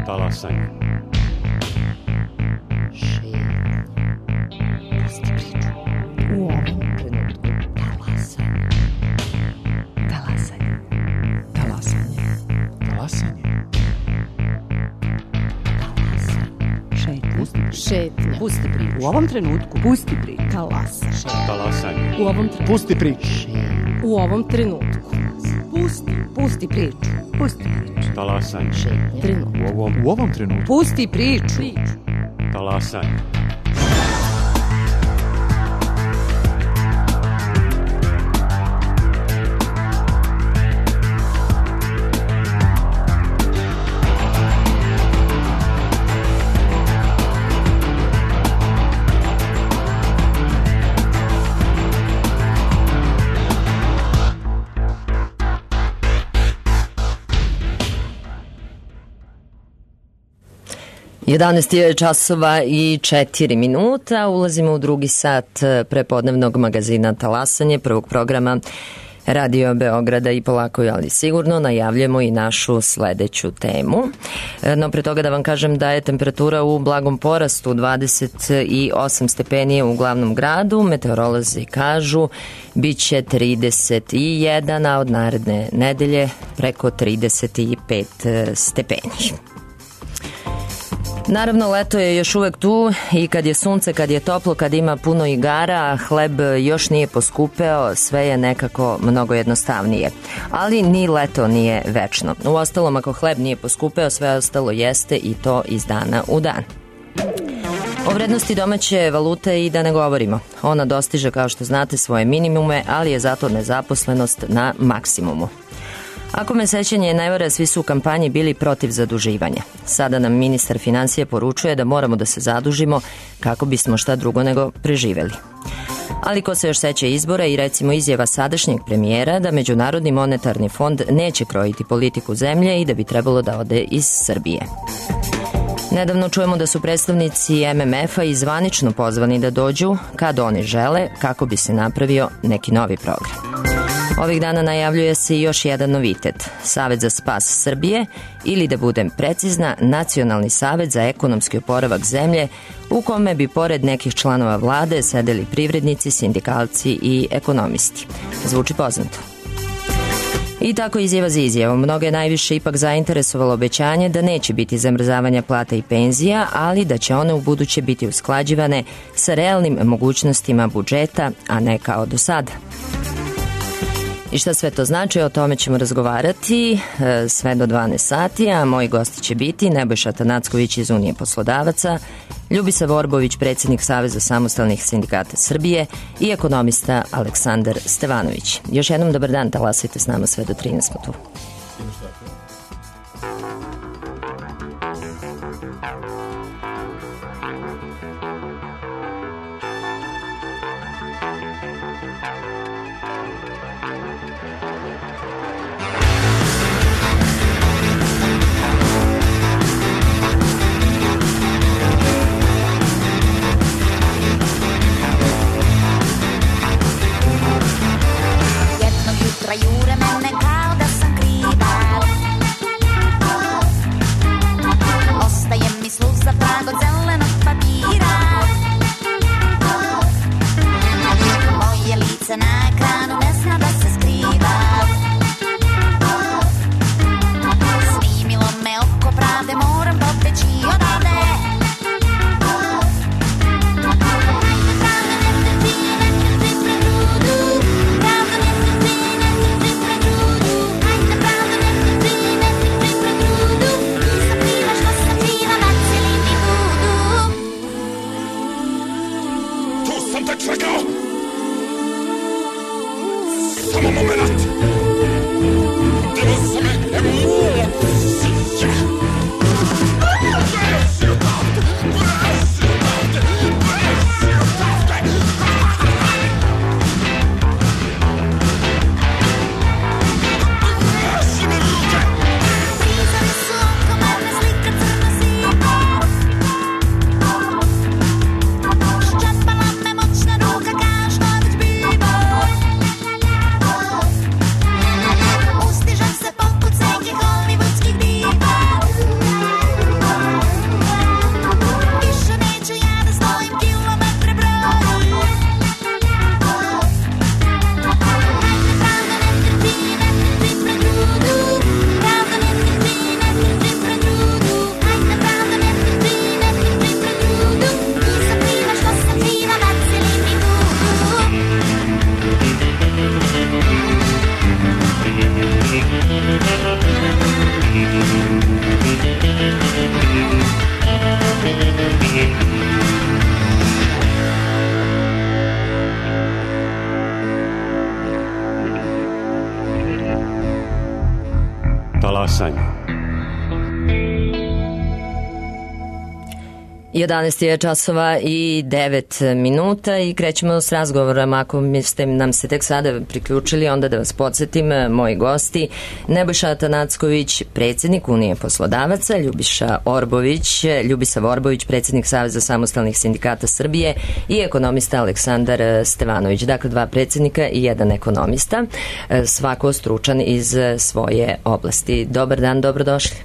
Talasanje. U ovom trenutku talasanje. Talasanje. Talasanje. Talasanje. Šetnja. Pusti priču. U ovom trenutku Pusti priču. talasanje. Talasanje. U ovom trenutku. Pusti priču. U ovom trenutku. Pusti priču. Pusti priču. Talasanje. Trenutku. U ovom trenutku. Pusti priču. Talasanje. Jedanaest je časova i 4 minuta. Ulazimo u drugi sat prepodnevnog magazina Talasanje, prvog programa Radio Beograda i polako, ali sigurno najavljamo i našu sledeću temu. No pre toga da vam kažem da je temperatura u blagom porastu, 28 stepeni u glavnom gradu. Meteorolozi kažu biće 31, a od naredne nedelje preko 35 stepeni. Naravno, leto je još uvek tu i kad je sunce, kad je toplo, kad ima puno igara, hleb još nije poskupeo, sve je nekako mnogo jednostavnije. Ali ni leto nije večno. Uostalom, ako hleb nije poskupeo, sve ostalo jeste i to iz dana u dan. O vrednosti domaće valute i da ne govorimo. Ona dostiže, kao što znate, svoje minimume, ali je zato nezaposlenost na maksimumu. Ako me sećanje ne vara, svi su u kampanji bili protiv zaduživanja. Sada nam ministar finansija poručuje da moramo da se zadužimo kako bismo šta drugo nego preživeli. Ali ko se još seća izbora i recimo izjava sadašnjeg premijera da Međunarodni monetarni fond neće krojiti politiku zemlje i da bi trebalo da ode iz Srbije. Nedavno čujemo da su predstavnici MMF-a i zvanično pozvani da dođu kad oni žele kako bi se napravio neki novi program. Ovih dana najavljuje se i još jedan novitet, Savet za spas Srbije ili da budem precizna, Nacionalni savet za ekonomski oporavak zemlje u kome bi pored nekih članova vlade sedeli privrednici, sindikalci i ekonomisti. Zvuči poznato. I tako izjava za izjavom. Mnogo je najviše ipak zainteresovalo obećanje da neće biti zamrzavanja plata i penzija, ali da će one u buduće biti usklađivane sa realnim mogućnostima budžeta, a ne kao do sada. I šta sve to znači, o tome ćemo razgovarati sve do 12 sati, a moji gosti će biti Nebojša Tanacković iz Unije poslodavaca, Ljubisa Vorbović, predsjednik Saveza samostalnih sindikata Srbije i ekonomista Aleksandar Stevanović. Još jednom dobar dan, talasajte s nama sve do 13 smo tu. Jure mene kao da sam kriva. Ostaje mi sluza trag od zelenog papira. Moje lice na ekranu ne zna da se skriva. Snimilo me oko pravde, moram pobeći odavde. Samo moment. Devo se me Talasanje. 11 je časova i 9 minuta i krećemo s razgovorom. Ako ste nam se tek sada priključili, onda da vas podsjetim, moji gosti: Nebojša Atanacković, predsjednik Unije poslodavaca, Ljubiša Orbović, predsjednik Saveza samostalnih sindikata Srbije i ekonomista Aleksandar Stevanović. Dakle, dva predsjednika i jedan ekonomista, svako stručan iz svoje oblasti. Dobar dan, dobrodošli.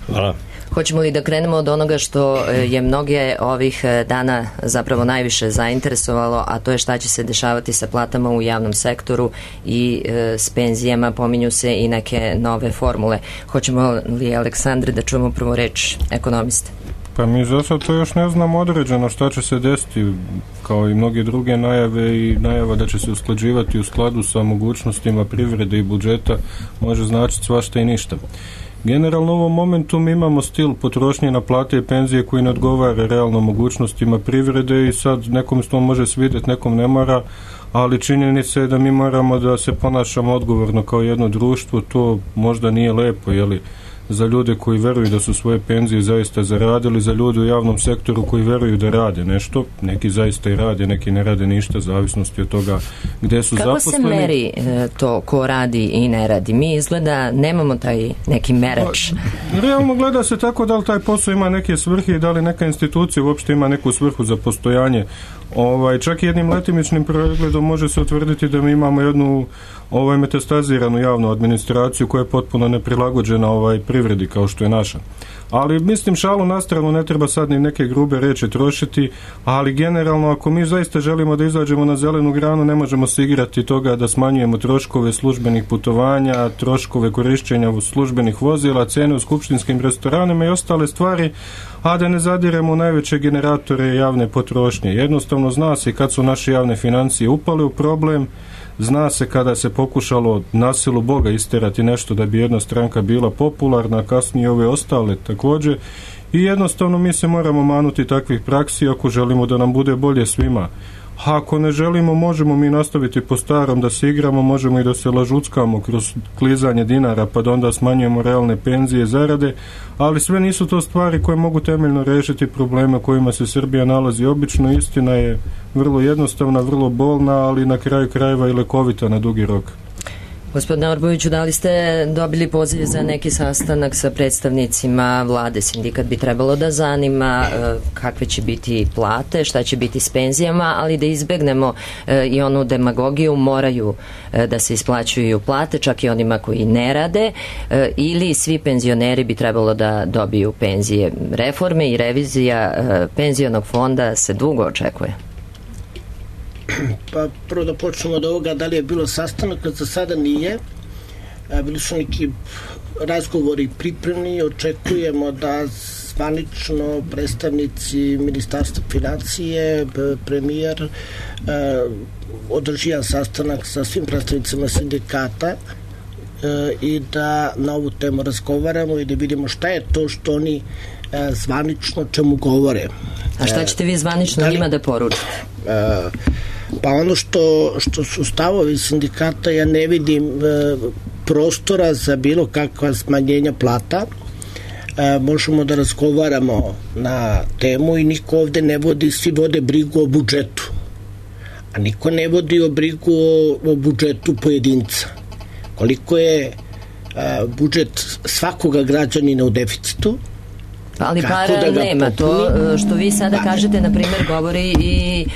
Hvala. Hoćemo li da krenemo od onoga što je mnoge ovih dana zapravo najviše zainteresovalo, a to je šta će se dešavati sa platama u javnom sektoru i s penzijama? Pominju se i neke nove formule. Hoćemo li, Aleksandre, da čujemo prvo reč ekonomiste? Pa mi za sad to još ne znamo određeno šta će se desiti, kao i mnoge druge najave, i najava da će se usklađivati u skladu sa mogućnostima privrede i budžeta može značiti svašta i ništa. Generalno u ovom momentu mi imamo stil potrošnje na plate i penzije koji ne odgovara realno mogućnostima privrede i sad nekom to može svidjeti, nekom ne mora, ali činjenica je da mi moramo da se ponašamo odgovorno kao jedno društvo. To možda nije lepo, jeli, za ljude koji veruju da su svoje penzije zaista zaradili, za ljude u javnom sektoru koji veruju da rade nešto, neki zaista i rade, neki ne rade ništa, zavisnosti od toga gde su zaposleni. zaposleni. Kako se meri to ko radi i ne radi? Mi izgleda nemamo taj neki merač. Realno gleda se tako da li taj posao ima neke svrhe i da li neka institucija uopšte ima neku svrhu za postojanje. Čak i jednim letimičnim pregledom može se utvrditi da mi imamo jednu metastaziranu javnu administraciju koja je potpuno neprilagođena privredi kao što je naša. Ali mislim, šalu na stranu, ne treba sad ni neke grube reči trošiti, ali generalno ako mi zaista želimo da izađemo na zelenu granu, ne možemo se igrati toga da smanjujemo troškove službenih putovanja, troškove korišćenja službenih vozila, cene u skupštinskim restoranima i ostale stvari, a da ne zadiremo u najveće generatore javne potrošnje. Jednostavno zna se kad su naše javne financije upale u problem, zna se kada se pokušalo na silu Boga isterati nešto da bi jedna stranka bila popularna, a kasnije ove ostale također, i jednostavno mi se moramo manuti takvih praksi ako želimo da nam bude bolje svima. A ako ne želimo, možemo mi nastaviti po starom da se igramo, možemo i da se lažuckamo kroz klizanje dinara pa da onda smanjujemo realne penzije, zarade, ali sve nisu to stvari koje mogu temeljno rešiti probleme kojima se Srbija nalazi. Obično istina je vrlo jednostavna, vrlo bolna, ali na kraju krajeva i lekovita na dugi rok. Gospodine Orboviću, da li ste dobili poziv za neki sastanak sa predstavnicima vlade? Sindikat bi trebalo da zanima kakve će biti plate, šta će biti s penzijama, ali da izbegnemo i onu demagogiju, moraju da se isplaćuju plate, čak i onima koji ne rade, ili svi penzioneri bi trebalo da dobiju penzije. Reforme i revizija penzionog fonda se dugo očekuje. Pa prvo da počnemo od ovoga, da li je bilo sastanak, za sada nije. Bili su neki razgovori pripremni, očekujemo da zvanično predstavnici Ministarstva financije, premijer, održi jedan sastanak sa svim predstavnicima sindikata i da na ovu temu razgovaramo i da vidimo šta je to što oni zvanično čemu govore. A šta ćete vi zvanično njima da poručite? Pa ono što su stavovi sindikata, ja ne vidim prostora za bilo kakva smanjenja plata. Možemo da razgovaramo na temu i niko ovde ne vodi, svi vode brigu o budžetu, a niko ne vodi brigu o budžetu pojedinca. Koliko je budžet svakoga građanina u deficitu, ali para nema. To što vi sada kažete, na primjer, govori i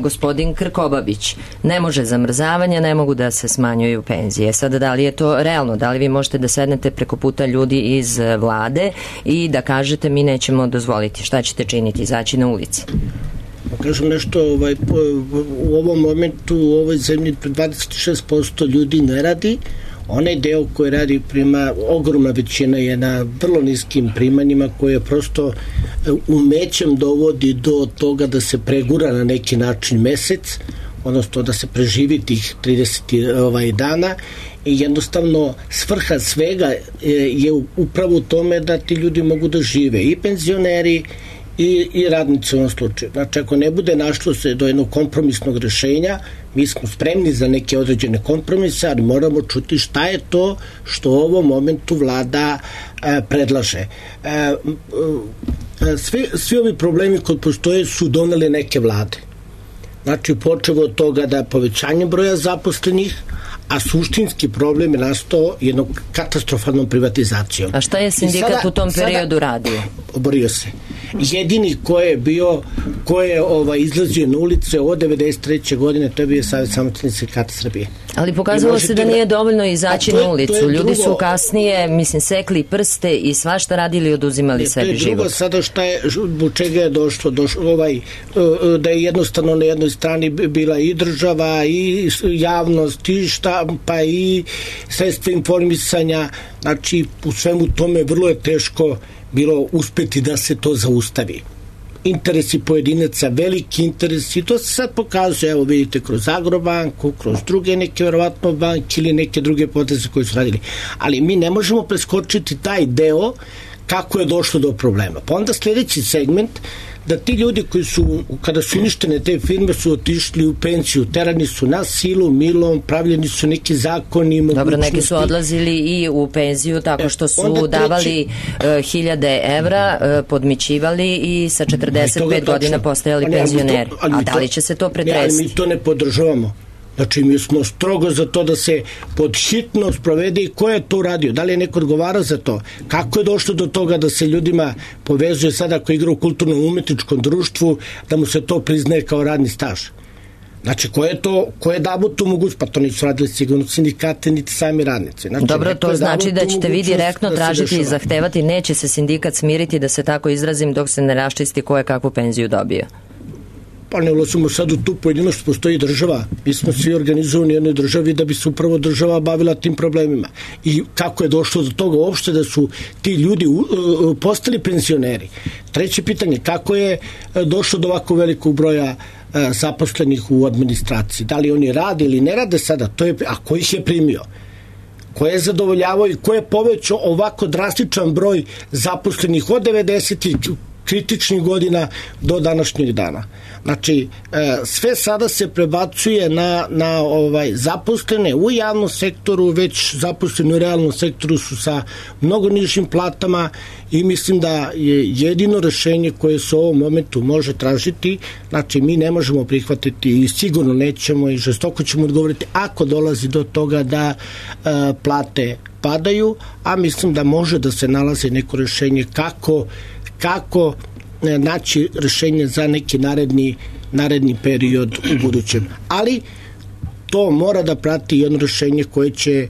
gospodin Krkobabić. Ne može zamrzavanje, ne mogu da se smanjuju penzije. Sada, da li je to realno? Da li vi možete da sednete preko puta ljudi iz vlade i da kažete mi nećemo dozvoliti? Šta ćete činiti? Izaći na ulici? Kažem nešto, u ovom momentu u ovoj zemlji 26% ljudi ne radi. Onaj deo koji radi ogromna većina je na vrlo niskim primanjima, koje prosto umećem dovodi do toga da se pregura na neki način mesec, odnosno da se preživi tih 30 dana, i jednostavno svrha svega je upravo u tome da ti ljudi mogu da žive, i penzioneri i radnici u ovom slučaju. Znači, ako ne bude našlo se do jednog kompromisnog rešenja, mi smo spremni za neke određene kompromise, ali moramo čuti šta je to što u ovom momentu vlada predlaže. Svi ovi problemi koji postoje su doneli neke vlade. Znači, počevo od toga da povećanje broja zaposlenih, a suštinski problem je nastao jednom katastrofalnom privatizacijom. A šta je sindikat u tom periodu radio? Oborio se. Jedini ko je izlazio na ulice od 1993. godine, to je bio Savez samostalnih sindikata Srbije. Ali pokazalo se da nije dovoljno izaći na ulicu. Ljudi su kasnije, sekli prste i svašta radili i oduzimali sebi život. To je drugo sada šta je, zbog čega je došlo da je jednostavno na jednoj strani bila i država i javnost i štampa i sredstva informisanja. Znači, u svemu tome vrlo je teško bilo uspeti da se to zaustavi. Interesi pojedinaca, veliki interesi, to se sad pokazuje, evo vidite, kroz Agrobanku, kroz druge neke verovatno banke ili neke druge poteze koje su radili. Ali mi ne možemo preskočiti taj deo kako je došlo do problema. Pa onda sljedeći segment, da ti ljudi koji su, kada su uništene te firme, su otišli u penciju, terani su na silu, milom, pravljeni su neki zakoni, mogućnosti. Dobro, neki su odlazili i u penziju tako što su davali 1000 evra, podmićivali i sa 45 godina postajali penzioneri. A da li će se to pretresti? Mi to ne podržavamo. Znači, mi smo strogo za to da se pod hitno sprovede i ko je to uradio? Da li je neko odgovarao za to? Kako je došlo do toga da se ljudima povezuje sada ako igra u kulturno-umetničkom društvu, da mu se to priznaje kao radni staž? Znači, ko je dao tu mogućnost? Pa to nisu radili sigurno sindikate, niti sami radnici. Znači, dobro, to znači da ćete vi direktno tražiti i zahtevati, neće se sindikat smiriti, da se tako izrazim, dok se ne raščisti ko je kakvu penziju dobio. Pa ne ulazimo sad u tu pojedinost, postoji država. Mi smo svi organizovani u jednoj državi da bi se upravo država bavila tim problemima. I kako je došlo do toga uopšte da su ti ljudi postali penzioneri? Treće pitanje, kako je došlo do ovako velikog broja zaposlenih u administraciji? Da li oni rade ili ne rade sada? A ko ih je primio? Ko je zadovoljavao i ko je povećao ovako drastičan broj zaposlenih od 90-ih kritičnih godina do današnjeg dana? Znači, sve sada se prebacuje na zaposlene u javnom sektoru, već zaposleni u realnom sektoru su sa mnogo nižim platama i mislim da je jedino rešenje koje se u ovom momentu može tražiti. Znači, mi ne možemo prihvatiti i sigurno nećemo i žestoko ćemo odgovoriti ako dolazi do toga da plate padaju, a mislim da može da se nalazi neko rešenje kako naći rešenje za neki naredni period u budućem. Ali to mora da prati jedno rešenje koje će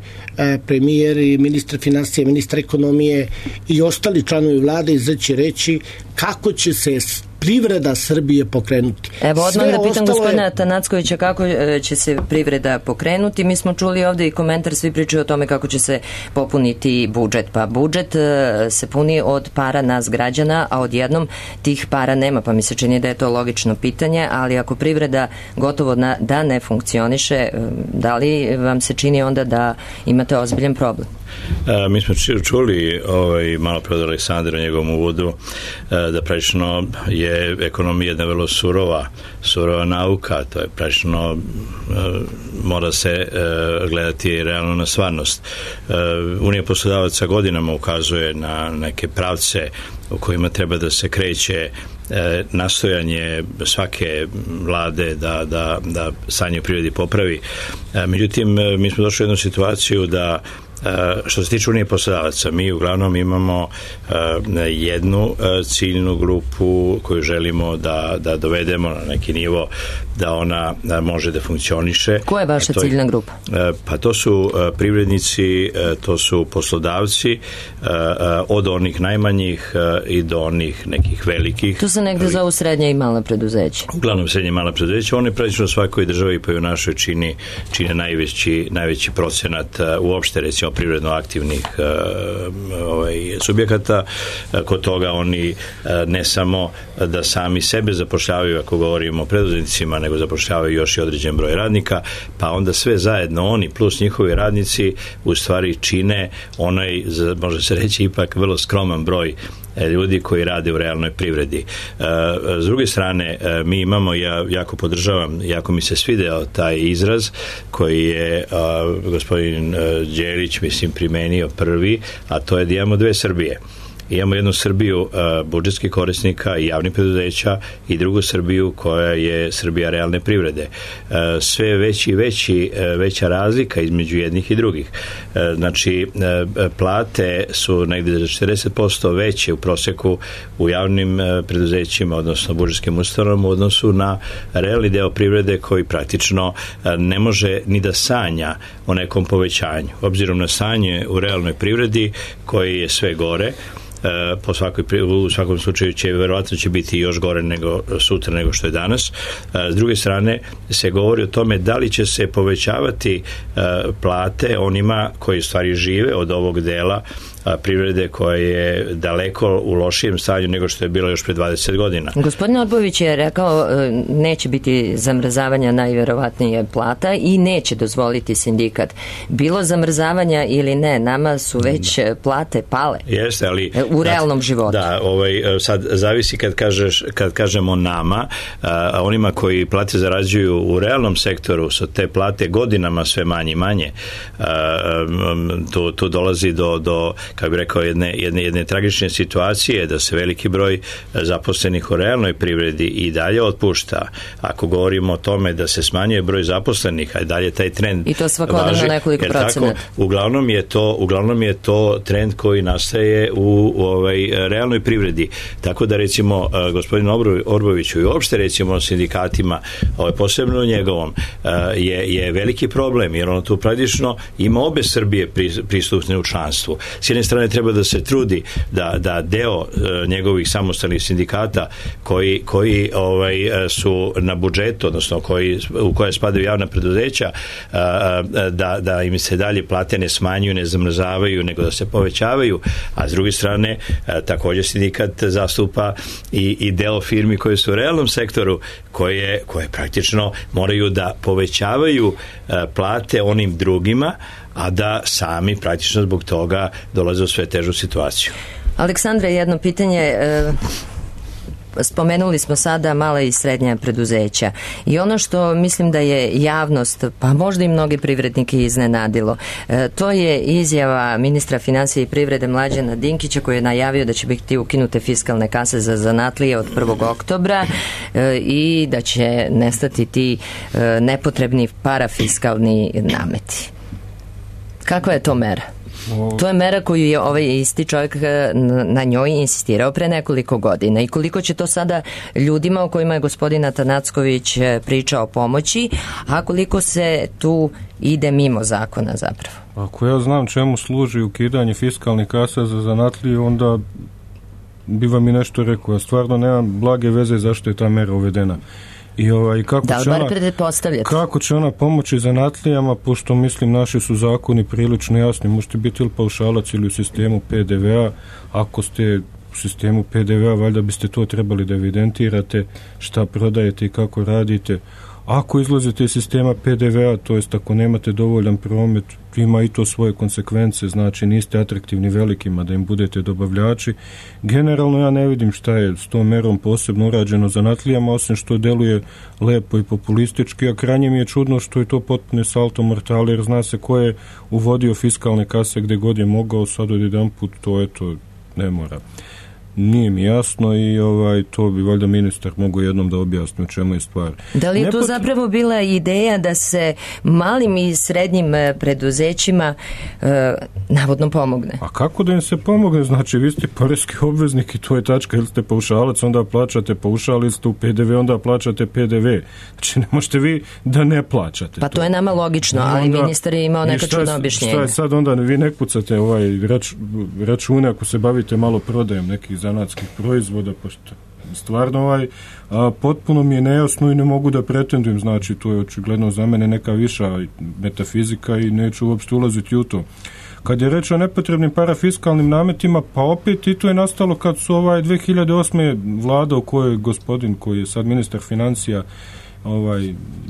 premijer i ministar financija, ministar ekonomije i ostali članovi vlade izaći reći kako će se privreda Srbije pokrenuti. Evo, odmah da pitam gospodina Atanackovića kako će se privreda pokrenuti. Mi smo čuli ovde i komentar, svi pričaju o tome kako će se popuniti budžet. Pa budžet se puni od para nas građana, a odjednom tih para nema, pa mi se čini da je to logično pitanje, ali ako privreda gotovo da ne funkcioniše, da li vam se čini onda da imate ozbiljan problem? Mi smo čuli malo pre od Aleksandra u njegovom uvodu da praktično je ekonomija jedna vrlo surova nauka, to je praktično mora se gledati realno na stvarnost. Unija poslodavaca godinama ukazuje na neke pravce u kojima treba da se kreće nastojanje svake vlade da stanje u privredi popravi. Međutim, mi smo došli u jednu situaciju da što se tiče Unije poslodavaca, mi uglavnom imamo jednu ciljnu grupu koju želimo da dovedemo na neki nivo da ona može da funkcioniše. Koja je vaša ciljna grupa? Pa to su privrednici, to su poslodavci, od onih najmanjih i do onih nekih velikih. To se negde zovu srednja i mala preduzeća. Uglavnom srednja i mala preduzeća. Oni praktično u svakoj državi pa i u našoj čine najveći procenat uopšte, recimo, privredno aktivnih subjekata. Kod toga oni ne samo da sami sebe zapošljavaju, ako govorimo o preduzetnicima, nego zapošljavaju još i određen broj radnika, pa onda sve zajedno oni plus njihovi radnici u stvari čine onaj, može se reći, ipak vrlo skroman broj ljudi koji rade u realnoj privredi. S druge strane, mi imamo, ja jako podržavam, jako mi se svideo taj izraz koji je gospodin Đelić, mislim, primenio prvi, a to je da imamo dve Srbije. Imamo jednu Srbiju budžetskih korisnika i javnih preduzeća i drugu Srbiju koja je Srbija realne privrede. Sve veća razlika između jednih i drugih. Znači, plate su negdje za 40% veće u proseku u javnim preduzećima, odnosno budžetskim ustanovama u odnosu na realni deo privrede koji praktično ne može ni da sanja o nekom povećanju. Obzirom na stanje u realnoj privredi koji je sve gore, u svakom slučaju verovatno će biti još gore nego sutra nego što je danas. S druge strane se govori o tome da li će se povećavati plate onima koji u stvari žive od ovog dela privrede koja je daleko u lošijem stanju nego što je bilo još pre 20 godina. Gospodin Orbović je rekao neće biti zamrzavanja najverovatnije plata i neće dozvoliti sindikat. Bilo zamrzavanja ili ne, nama su već plate pale. Jeste, ali u realnom životu. Da, sad zavisi kad kažemo nama, onima koji plate zarađuju u realnom sektoru su te plate godinama sve manje i manje. Tu dolazi do kako bih rekao, jedne tragične situacije da se veliki broj zaposlenih u realnoj privredi i dalje otpušta. Ako govorimo o tome da se smanjuje broj zaposlenih, a dalje taj trend i to svakodnevno nekoliko procenata. Uglavnom je to trend koji nastaje u realnoj privredi. Tako da recimo gospodin Orboviću i uopšte recimo sindikatima, posebno njegovom, je veliki problem, jer ono tu praktično ima obe Srbije pristupne u članstvu. S jedne strane treba da se trudi da deo njegovih samostalnih sindikata koji su na budžetu, odnosno u koje spadaju javna preduzeća, da im se dalje plate ne smanjuju, ne zamrzavaju, nego da se povećavaju, a s druge strane također sindikat zastupa i deo firmi koje su u realnom sektoru koje praktično moraju da povećavaju plate onim drugima, a da sami praktično zbog toga dolaze u sve težu situaciju. Aleksandra, jedno pitanje. Spomenuli smo sada mala i srednja preduzeća i ono što mislim da je javnost, pa možda i mnogi privrednike iznenadilo, to je izjava ministra financija i privrede Mlađana Dinkića koji je najavio da će biti ukinute fiskalne kase za zanatlije od 1. oktobra i da će nestati ti nepotrebni parafiskalni nameti. Kakva je to mera? To je mera koju je ovaj isti čovjek na njoj insistirao pre nekoliko godina i koliko će to sada ljudima o kojima je gospodin Atanacković pričao pomoći, a koliko se tu ide mimo zakona zapravo. Ako ja znam čemu služi ukidanje fiskalnih kasa za zanatlije, onda bi vam i nešto rekao. Ja stvarno nemam blage veze zašto je ta mera uvedena. I kako će ona pomoći zanatlijama, pošto mislim naši su zakoni prilično jasni, možete biti ili paušalac ili u sistemu PDV-a, ako ste u sistemu PDV-a valjda biste to trebali da evidentirate šta prodajete i kako radite. Ako izlazite iz sistema PDV-a, to jest ako nemate dovoljan promet, ima i to svoje konsekvence, znači niste atraktivni velikima da im budete dobavljači. Generalno ja ne vidim šta je s tom merom posebno urađeno zanatlijama, osim što deluje lepo i populistički, a krajnje mi je čudno što je to potpuno salto mortale, jer zna se ko je uvodio fiskalne kase gde god je mogao, sad od jedan put to ne mora. Nije mi jasno i to bi valjda ministar mogao jednom da objasni o čemu je stvar. Da li je to zapravo bila ideja da se malim i srednjim preduzećima navodno pomogne? A kako da im se pomogne? Znači, vi ste poreski obveznik i to je tačka, ili ste paušalac, onda plaćate paušal, ili ste u PDV, onda plaćate PDV. Znači, ne možete vi da ne plaćate. Pa to je nama logično, ali ministar je imao neka čudna objašnjenja. Šta je sad onda, vi ne kucate račune ako se bavite malo prodajem nekih zanatskih proizvoda, pošto stvarno potpuno mi je nejasno i ne mogu da pretendujem, znači to je očigledno za mene neka viša metafizika i neću uopšte ulaziti u to. Kad je reč o nepotrebnim parafiskalnim nametima, pa opet i to je nastalo kad su 2008. vlada u kojoj gospodin koji je sad ministar financija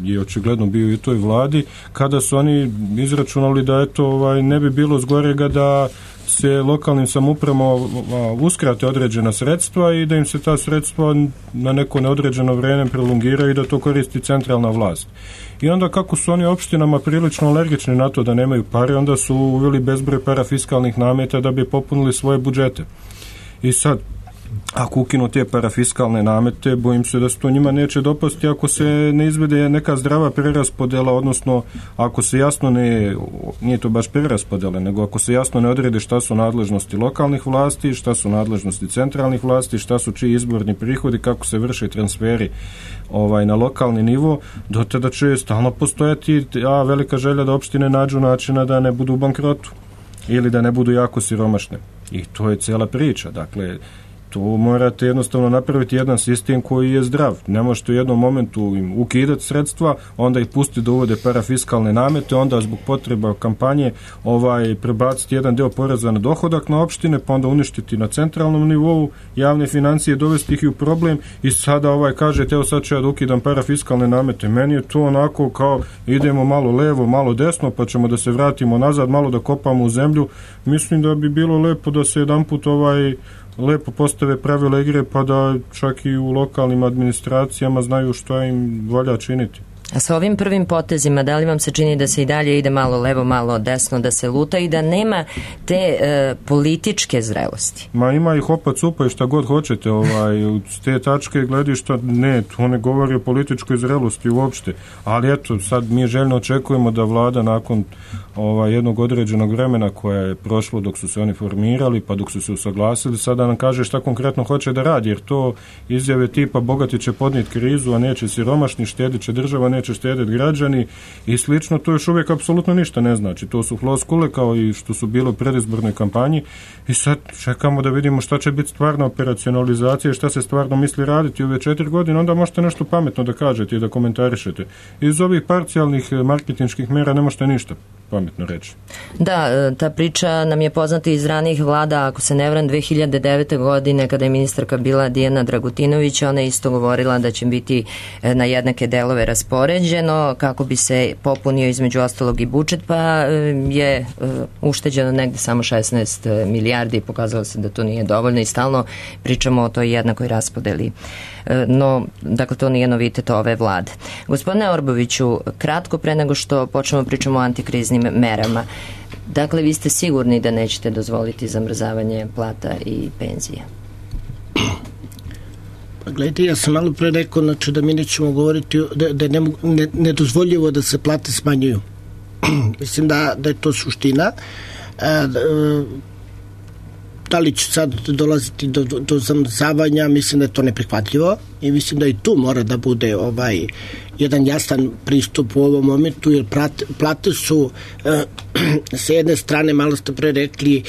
je očigledno bio i u toj vladi, kada su oni izračunali da ne bi bilo zgorega da se lokalnim samoupravama uskrate određena sredstva i da im se ta sredstva na neko neodređeno vrijeme prolongiraju i da to koristi centralna vlast. I onda kako su oni opštinama prilično alergični na to da nemaju pare, onda su uveli bezbroj parafiskalnih nameta da bi popunili svoje budžete. I sad, ako ukinu te parafiskalne namete, bojim se da se to njima neće dopasti ako se ne izvede neka zdrava preraspodela, odnosno ako se jasno nije to baš preraspodela, nego ako se jasno ne odrede šta su nadležnosti lokalnih vlasti, šta su nadležnosti centralnih vlasti, šta su čiji izborni prihodi, kako se vrše transferi na lokalni nivo, do tada će stalno postojati velika želja da opštine nađu načina da ne budu u bankrotu ili da ne budu jako siromašne. I to je cijela priča. Dakle, tu morate jednostavno napraviti jedan sistem koji je zdrav. Ne možete u jednom momentu im ukidati sredstva, onda ih pustiti da uvode parafiskalne namete, onda zbog potreba kampanje prebaciti jedan deo poreza na dohodak na opštine, pa onda uništiti na centralnom nivou javne financije, dovesti ih u problem i sada kažete, evo sad ću ja da ukidam parafiskalne namete. Meni je to onako kao idemo malo levo, malo desno, pa ćemo da se vratimo nazad, malo da kopamo u zemlju. Mislim da bi bilo lepo da se jedanput lepo postave pravila igre, pa da čak i u lokalnim administracijama znaju što im valja činiti. A sa ovim prvim potezima, da li vam se čini da se i dalje ide malo levo, malo desno, da se luta i da nema te političke zrelosti? Ma ima ih opa cupa i šta god hoćete, s te tačke gledišta, ne, to ne govori o političkoj zrelosti uopšte, ali eto, sad mi željno očekujemo da vlada nakon jednog određenog vremena koje je prošlo dok su se oni formirali, pa dok su se usaglasili, sada nam kaže šta konkretno hoće da radi, jer to izjave tipa bogati će podnijeti krizu, a neće siromašni, štedit će država, neće štediti građani i slično, to još uvijek apsolutno ništa ne znači. To su floskule kao i što su bilo u predizbornoj kampanji i sad čekamo da vidimo šta će biti stvarna operacionalizacija i šta se stvarno misli raditi ove 4 godine, onda možete nešto pametno da kažete i da komentarišete. Iz ovih parcijalnih marketinških mera ne možete ništa pametno reći. Da, ta priča nam je poznata iz ranijih vlada, ako se ne varam 2009. godine kada je ministarka bila Dijana Dragutinović, ona je isto govorila da će biti na jednake delove raspoređeno kako bi se popunio između ostalog i budžet, pa je ušteđeno negde samo 16 milijardi i pokazalo se da to nije dovoljno i stalno pričamo o toj jednakoj raspodeli. No, dakle, to nije novitet ove vlade. Gospodine Orboviću, kratko pre nego što počnemo pričamo o antikriznim merama. Dakle, vi ste sigurni da nećete dozvoliti zamrzavanje plata i penzija? Pa gledajte, ja sam malo pre rekao, znači da mi nećemo govoriti da je nedozvoljivo da se plate smanjuju. Mislim da je to suština. Da li će sad dolaziti do zamrzavanja, mislim da je to neprihvatljivo i mislim da i tu mora da bude jedan jasan pristup u ovom momentu, jer plate su s jedne strane, malo ste pre rekli,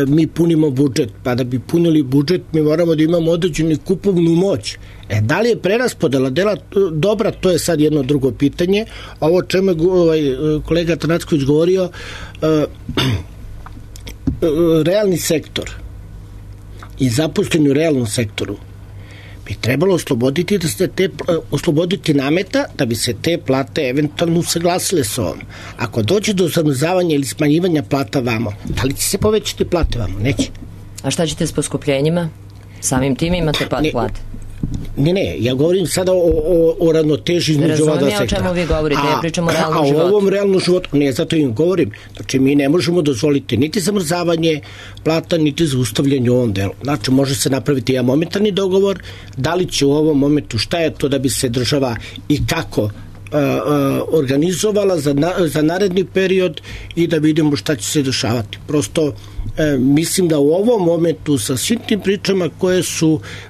mi punimo budžet, pa da bi punili budžet mi moramo da imamo određenu kupovnu moć. Da li je preraspodela dela dobra, to je sad jedno drugo pitanje. Ovo čemu je kolega Tanacković govorio, realni sektor i zaposleni u realnom sektoru bi trebalo osloboditi nameta da bi se te plate eventualno usaglasile sa ovom. Ako dođe do zamrzavanja ili smanjivanja plata vamo, da li će se povećati plate vamo? Neće. A šta ćete s poskupljenjima? Samim tim imate pad plate? Ne, ja govorim sada o ravnoteži između ova dva sektora. Razumijem o čemu vi govorite, ja pričam o realnom životu. A o ovom realnom životu, ne, zato im govorim. Znači, mi ne možemo dozvoliti niti zamrzavanje plata, niti zaustavljanje u ovom delu. Znači, može se napraviti jedan momentarni dogovor, da li će u ovom momentu, šta je to da bi se država i kako organizovala za naredni period i da vidimo šta će se dešavati. Prosto mislim da u ovom momentu sa svim tim pričama koje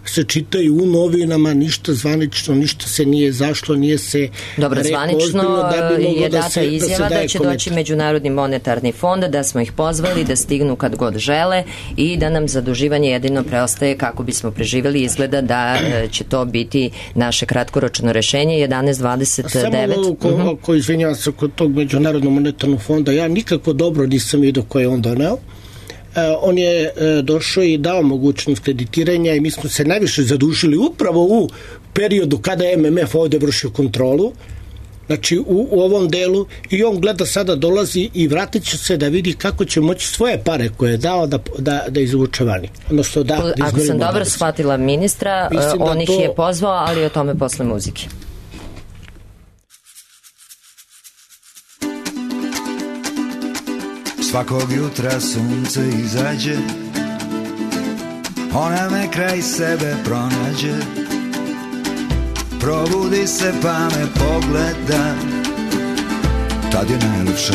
se čitaju u novinama, ništa zvanično, ništa se nije zašlo, nije se dobro, zvanično je data izjava da će doći Međunarodni monetarni fond, da smo ih pozvali da stignu kad god žele i da nam zaduživanje jedino preostaje kako bismo preživjeli. Izgleda da će to biti naše kratkoročno rešenje 11.29. Samo ako izvinjavam se kod tog Međunarodnog monetarnog fonda, ja nikako dobro nisam vidio koje je on doneo. On je došao i dao mogućnost kreditiranja i mi smo se najviše zadužili upravo u periodu kada je MMF ovde vršio kontrolu znači u ovom delu, i on gleda sada dolazi i vratit će se da vidi kako će moći svoje pare koje je dao da izvuče vani. Odnosno da ako sam dobro shvatila ministra, on ih je pozvao, ali o tome posle muzike. Svakog jutra sunce izađe, ona me kraj sebe pronađe, probudi se pa me pogleda, tad je najljepša.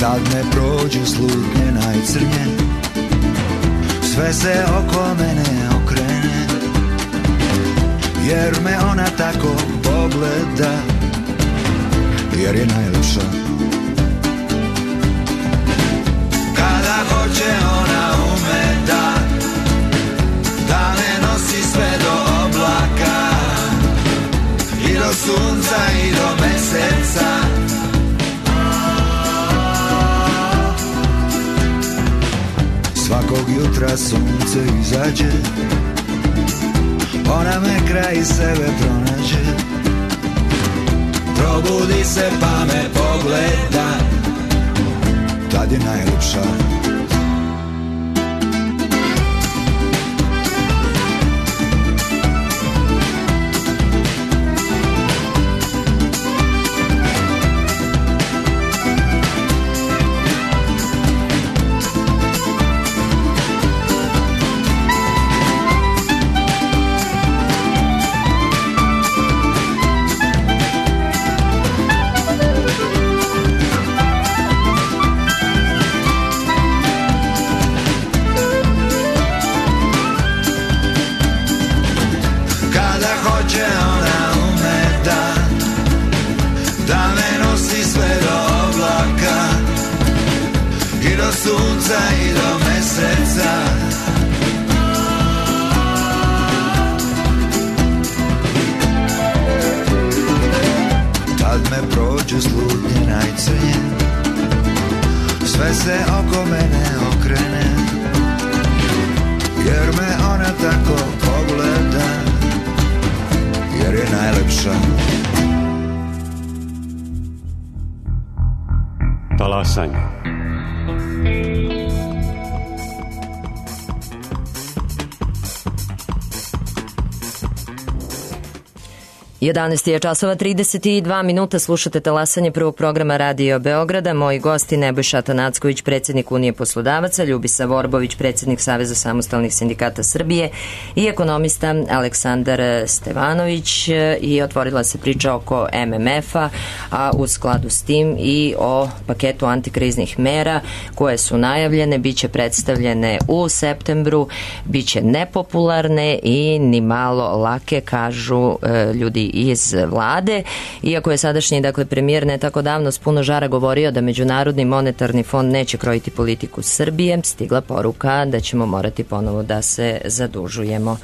Tad me prođu slutnje najcrnje, sve se oko mene okrene, jer me ona tako pogleda, jer je najljepša. Kada hoće ona ume da me nosi sve do oblaka, i do sunca i do meseca. Svakog jutra sunce izađe, ona me kraj sebe pronađe, probudi se pa me pogleda, tad je najljepša. I do meseca. Tad me prođe slutnje najcrnje, sve se oko mene okrene, jer me ona tako pogleda, jer je najlepša. Talasanje. 11 je časova 32 minuta, slušate talasanje prvog programa Radio Beograda. Moji gosti Nebojša Atanacković, predsjednik Unije poslodavaca, Ljubisa Vorbović, predsjednik Saveza samostalnih sindikata Srbije i ekonomista Aleksandar Stevanović. I otvorila se priča oko MMF-a, a u skladu s tim i o paketu antikriznih mera koje su najavljene, bit će predstavljene u septembru, bit će nepopularne i ni malo lake, kažu ljudi iz vlade. Iako je sadašnji, premijer ne tako davno s puno žara govorio da Međunarodni monetarni fond neće krojiti politiku Srbije, stigla poruka da ćemo morati ponovo da se zadužujemo.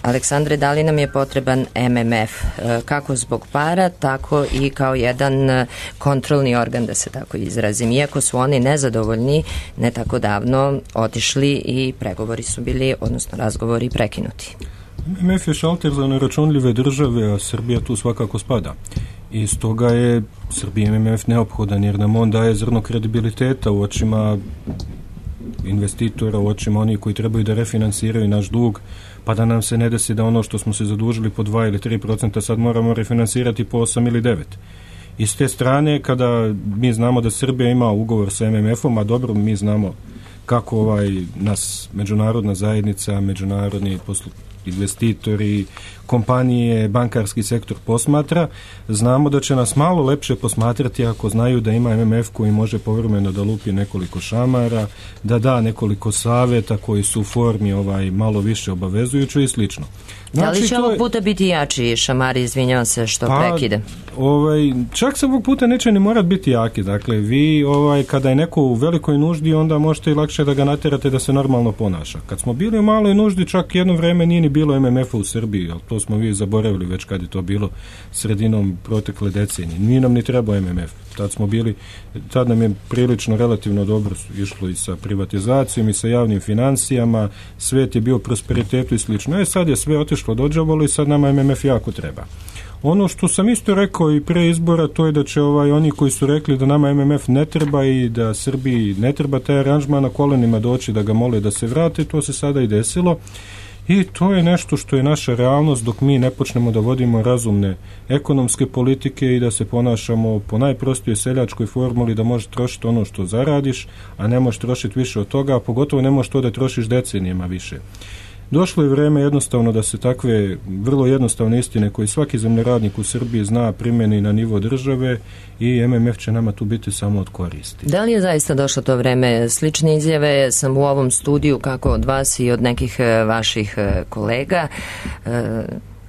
Aleksandre, da li nam je potreban MMF? Kako zbog para, tako i kao jedan kontrolni organ, da se tako izrazim. Iako su oni nezadovoljni, ne tako davno otišli i pregovori su bili, odnosno razgovori, prekinuti. MMF je šalter za neračunljive države, a Srbija tu svakako spada. I stoga je Srbiji MMF neophodan, jer nam on daje zrno kredibiliteta u očima investitora, u očima onih koji trebaju da refinansiraju naš dug, pa da nam se ne desi da ono što smo se zadužili po 2 ili 3% sad moramo refinansirati po 8 ili 9%. I s te strane, kada mi znamo da Srbija ima ugovor sa MMF-om, a dobro, mi znamo kako nas međunarodna zajednica, međunarodni investitori, kompanije, bankarski sektor posmatra, znamo da će nas malo lepše posmatrati ako znaju da ima MMF koji može povremeno da lupi nekoliko šamara, da da nekoliko saveta koji su u formi malo više obavezujući i slično. Znači, da li će ovog puta biti jači šamari, izvinjavam se što prekide? Čak se ovog puta neće ni morat biti jaki. Dakle, vi kada je neko u velikoj nuždi, onda možete i lakše da ga naterate da se normalno ponaša. Kad smo bili u maloj nuždi, čak jedno vreme nije ni bilo MMF-a u Srbiji, ali to smo vi zaboravili već kad je to bilo sredinom protekle decenije. Nije nam ni trebao MMF. Tad nam je prilično relativno dobro išlo i sa privatizacijom i sa javnim financijama, svet je bio prosperitetu i slično. Sad je sve otišlo dođavolo i sad nama MMF jako treba. Ono što sam isto rekao i pre izbora, to je da će oni koji su rekli da nama MMF ne treba i da Srbiji ne treba taj aranžman na kolenima doći da ga mole da se vrate, to se sada i desilo. I to je nešto što je naša realnost dok mi ne počnemo da vodimo razumne ekonomske politike i da se ponašamo po najprostijoj seljačkoj formuli da možeš trošiti ono što zaradiš, a ne možeš trošiti više od toga, a pogotovo ne možeš to da trošiš decenijama više. Došlo je vreme jednostavno da se takve vrlo jednostavne istine koje svaki zemljoradnik u Srbiji zna primjeni na nivo države i MMF će nama tu biti samo od koristi. Da li je zaista došlo to vreme? Slične izjave sam u ovom studiju, kako od vas i od nekih vaših kolega,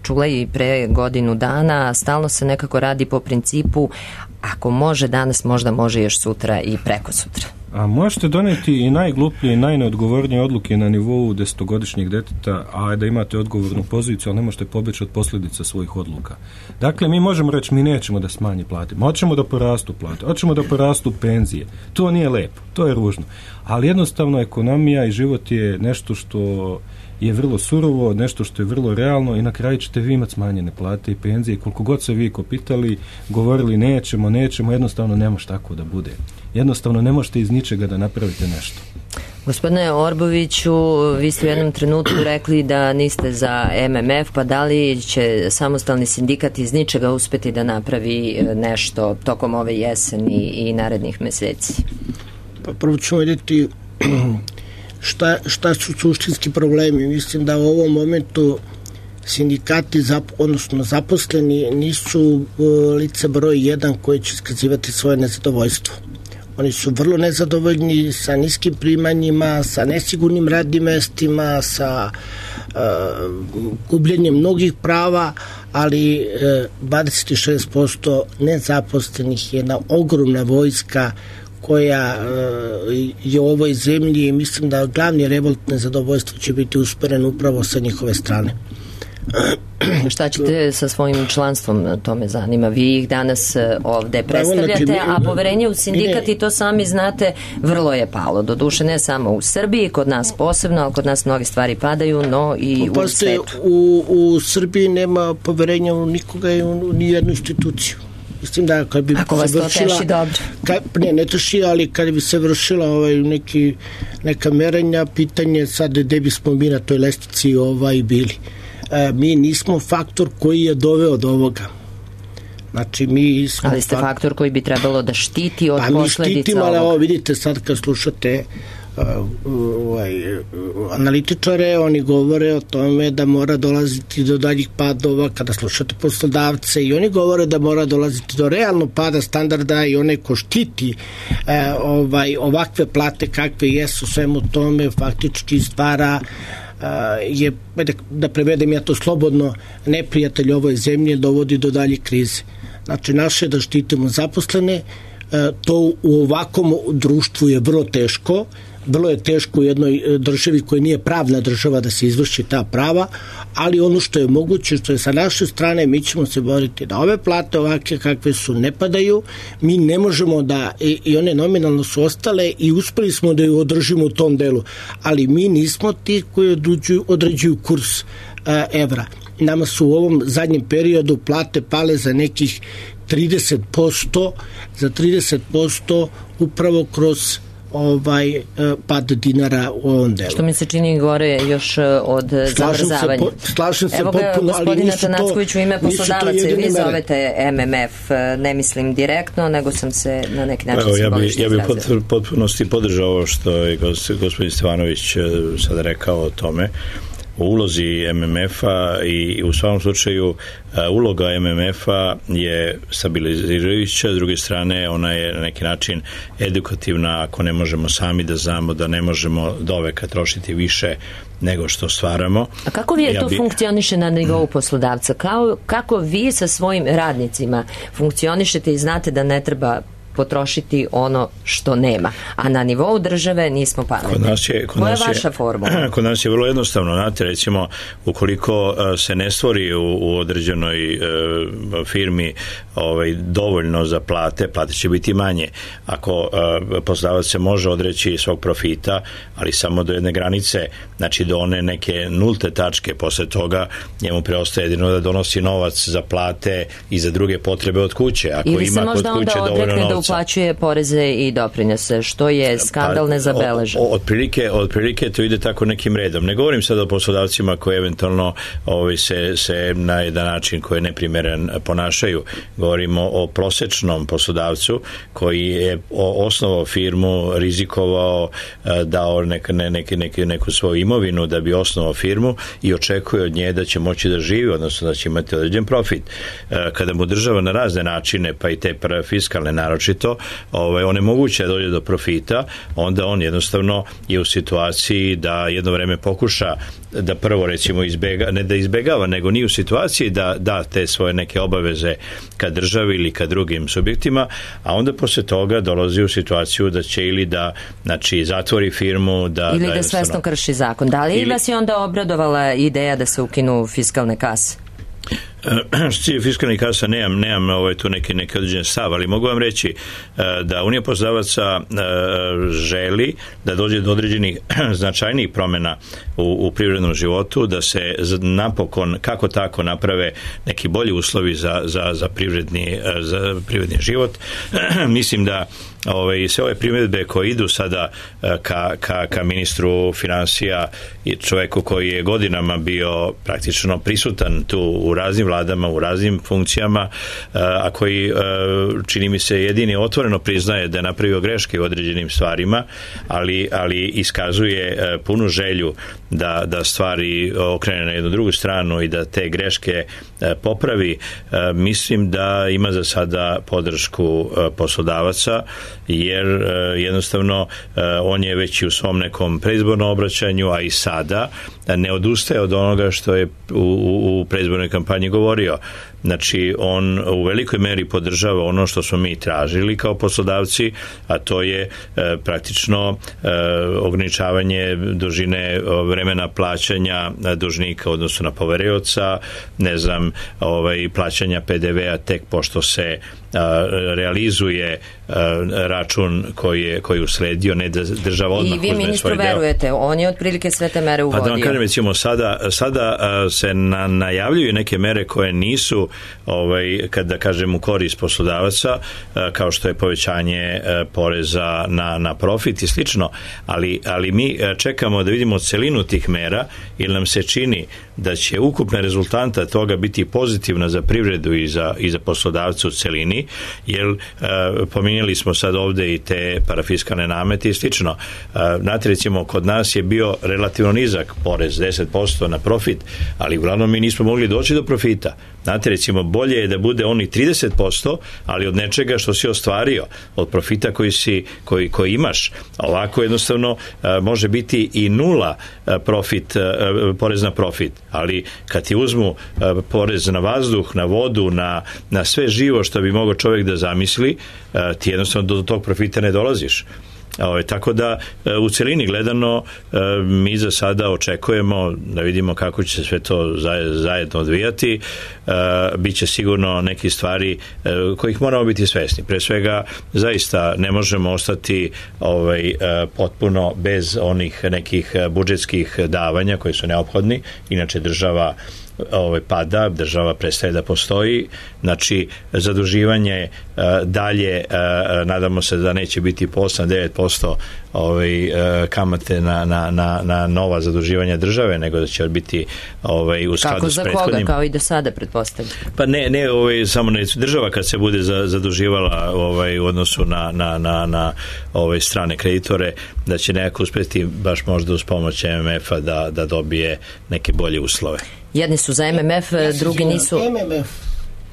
čula i pre godinu dana. Stalno se nekako radi po principu ako može danas, možda može još sutra i preko sutra. A možete doneti i najgluplje i najneodgovornije odluke na nivou 10-godišnjeg deteta, a da imate odgovornu poziciju, ali ne možete pobeći od posljedica svojih odluka. Dakle, mi možemo reći, mi nećemo da smanji plate, hoćemo da porastu plate, hoćemo da porastu penzije. To nije lepo, to je ružno. Ali jednostavno ekonomija i život je nešto što je vrlo surovo, nešto što je vrlo realno i na kraju ćete vi imati smanjene plate i penzije. Koliko god se vi kopitali, govorili nećemo, jednostavno ne može tako da bude. Jednostavno ne možete iz ničega da napravite nešto. Gospodine Orboviću, vi ste u jednom trenutku rekli da niste za MMF, pa da li će samostalni sindikat iz ničega uspeti da napravi nešto tokom ove jeseni i narednih meseci? Pa prvo ćemo vidjeti šta su suštinski problemi. Mislim da u ovom momentu sindikati, odnosno zaposleni, nisu lice broj 1 koji će iskazivati svoje nezadovoljstvo. Oni su vrlo nezadovoljni sa niskim primanjima, sa nesigurnim radnim mestima, sa gubljenjem mnogih prava, ali 26% nezaposlenih je jedna ogromna vojska koja je u ovoj zemlji i mislim da glavni revolt nezadovoljstva će biti usperen upravo sa njihove strane. Šta ćete sa svojim članstvom, to me zanima. Vi ih danas ovde predstavljate, a poverenje u sindikat, i to sami znate, vrlo je palo. Doduše ne samo u Srbiji, kod nas posebno, ali kod nas mnoge stvari padaju, no i u svetu. U Srbiji nema poverenja u nikoga i u nijednu instituciju. Mislim da kad bi ako vas to teši, dobro. Ne teši, ali kad bi se vršila neka merenja, pitanje sad gde bismo mi na toj lestvici bili. Mi nismo faktor koji je doveo do ovoga. Znači, mi smo... Ali ste faktor koji bi trebalo da štiti od posledica mi štitimo, ali ovo vidite sad kad slušate analitičare, oni govore o tome da mora dolaziti do daljih padova. Kada slušate poslodavce, i oni govore da mora dolaziti do realnog pada standarda, i onaj ko štiti ovakve plate kakve jesu, svemu tome faktički stvara je, da prevedem ja to slobodno, neprijatelj ovoj zemlji, dovodi do dalje krize. Znači, naše da štitimo zaposlene, to u ovakvom društvu je vrlo teško. Vrlo je teško u jednoj državi koja nije pravna država da se izvrši ta prava, ali ono što je moguće, što je sa naše strane, mi ćemo se boriti da ove plate ovakve kakve su ne padaju. Mi ne možemo da, i one nominalno su ostale i uspeli smo da ju održimo u tom delu, ali mi nismo ti koji određuju kurs evra. Nama su u ovom zadnjem periodu plate pale za nekih 30%, za 30% upravo kroz pad dinara u ovom delu. Što mi se čini gore još od zamrzavanja. Slažem se potpuno, ali nisu to... Evo ga, gospodina Tanacković, u ime poslodavaca, vi zovete MMF, ne mislim direktno, nego sam se na neki način simbolično izrazila. Ja bih potpunosti podržao ovo što je gospodin Stevanović sada rekao o tome, o ulozi MMF-a, i u svakom slučaju uloga MMF-a je stabilizirajuća, s druge strane ona je na neki način edukativna, ako ne možemo sami da znamo da ne možemo doveka trošiti više nego što stvaramo. A kako vi to funkcioniše na nivou poslodavca? Kako vi sa svojim radnicima funkcionišete i znate da ne treba potrošiti ono što nema. A na nivou države nismo pametni. Koja je vaša formula? Kod nas je vrlo jednostavno. Znate, recimo, ukoliko se ne stvori u određenoj firmi dovoljno za plate će biti manje. Ako poslodavac se može odreći svog profita, ali samo do jedne granice, znači do one neke nulte tačke, posle toga njemu preostaje jedino da donosi novac za plate i za druge potrebe od kuće. Ako ili ima se možda kod kuće onda odrekne da uplaćuje poreze i doprinose, što je skandal nezabeležen. Otprilike to ide tako nekim redom. Ne govorim sad o poslodavcima koji eventualno se na jedan način koji je neprimeren ponašaju. Govorimo o prosečnom poslodavcu koji je osnovao firmu, rizikovao, dao neku svoju imovinu da bi osnovao firmu i očekuje od nje da će moći da živi, odnosno da će imati određen profit. Kada mu država na razne načine, pa i te fiskalne naročito, onemoguće da dođe do profita, onda on jednostavno je u situaciji da jedno vreme pokuša da prvo recimo ne da izbegava, nego nije u situaciji da da te svoje neke obaveze ka državi ili ka drugim subjektima, a onda posle toga dolazi u situaciju da će ili da zatvori firmu, ili da svesno krši zakon. Da li vas je onda obradovala ideja da se ukinu fiskalne kase? Što je fiskalnih kasa, nemam tu neki određen stav, ali mogu vam reći da Unija poslodavaca želi da dođe do određenih značajnijih promjena u privrednom životu, da se napokon kako tako naprave neki bolji uslovi za privredni život. Mislim da sve ove primjedbe koje idu sada ka ministru finansija i čoveku koji je godinama bio praktično prisutan tu u raznim vladama, u raznim funkcijama, a koji čini mi se jedini otvoreno priznaje da je napravio greške u određenim stvarima, ali iskazuje punu želju da stvari okrene na jednu drugu stranu i da te greške popravi. Mislim da ima za sada podršku poslodavaca, jer jednostavno on je već i u svom nekom predizbornom obraćanju, a i sada ne odustaje od onoga što je u predizbornoj kampanji govorio. Znači, on u velikoj meri podržava ono što smo mi tražili kao poslodavci, a to je praktično ograničavanje dužine vremena plaćanja dužnika u odnosu na poverioca, plaćanja PDV-a tek pošto se realizuje račun koji je usledio, ne da država odmah uzme svoj deo. I vi ministru verujete, on je otprilike sve te mere uvodio. Pa da vam kažem, recimo, sada se najavljuju neke mere koje nisu kada kažem u korist poslodavaca, kao što je povećanje poreza na profit i slično, ali mi čekamo da vidimo celinu tih mera, jer nam se čini da će ukupna rezultanta toga biti pozitivna za privredu i za poslodavce u celini, jer pominjali smo sad ovde i te parafiskalne namete i slično. Znate, recimo, kod nas je bio relativno nizak porez, 10% na profit, ali uglavnom mi nismo mogli doći do profita. Znate, recimo, bolje je da bude oni 30%, ali od nečega što si ostvario, od profita koji imaš. Ovako jednostavno može biti i nula porez na profit, ali kad ti uzmu porez na vazduh, na vodu, na sve živo što bi mogao čovjek da zamisli, ti jednostavno do tog profita ne dolaziš. Tako da u celini gledano mi za sada očekujemo da vidimo kako će se sve to zajedno odvijati. Biće sigurno neki stvari kojih moramo biti svesni. Pre svega, zaista ne možemo ostati potpuno bez onih nekih budžetskih davanja koji su neophodni, inače država pada, država prestaje da postoji. Znači, zaduživanje dalje, nadamo se da neće biti po 8-9% kamate na nova zaduživanja države, nego da će biti u skladu s prethodnim. Kako za koga, kao i do sada, pretpostavljam? Pa ne samo država kad se bude zaduživala u odnosu na strane kreditore, da će nekako uspjeti baš možda uz pomoć MMF-a da dobije neke bolje uslove. Jedni su za MMF, drugi nisu.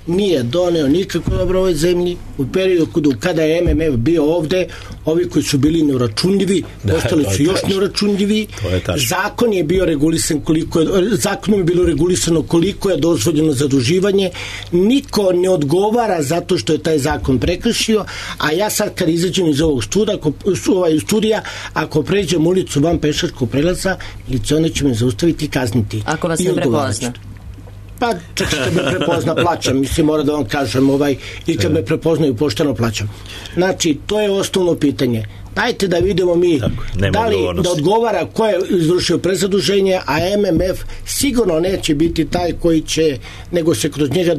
nije doneo nikako dobro ovoj zemlji. U periodu kada je MMF bio ovde, ovi koji su bili neuračunljivi, ostali su još neuračunljivi. Zakon je bio regulisan zakonom je bilo regulisano koliko je dozvoljeno zaduživanje. Niko ne odgovara zato što je taj zakon prekršio, a ja sad kad izađem iz ovog studija, ako pređem ulicu van pešačkog prelaza, milicioner će me zaustaviti i kazniti. Ako vas ne prepozna. Pa čak kad me prepozna plaćam, mislim, mora da vam kažem, i kad me prepoznaju pošteno plaćam. Znači, to je osnovno pitanje. Dajte da vidimo mi da li da odgovara ko je izvršio prezaduženje, a MMF sigurno neće biti taj koji će, nego se kroz njega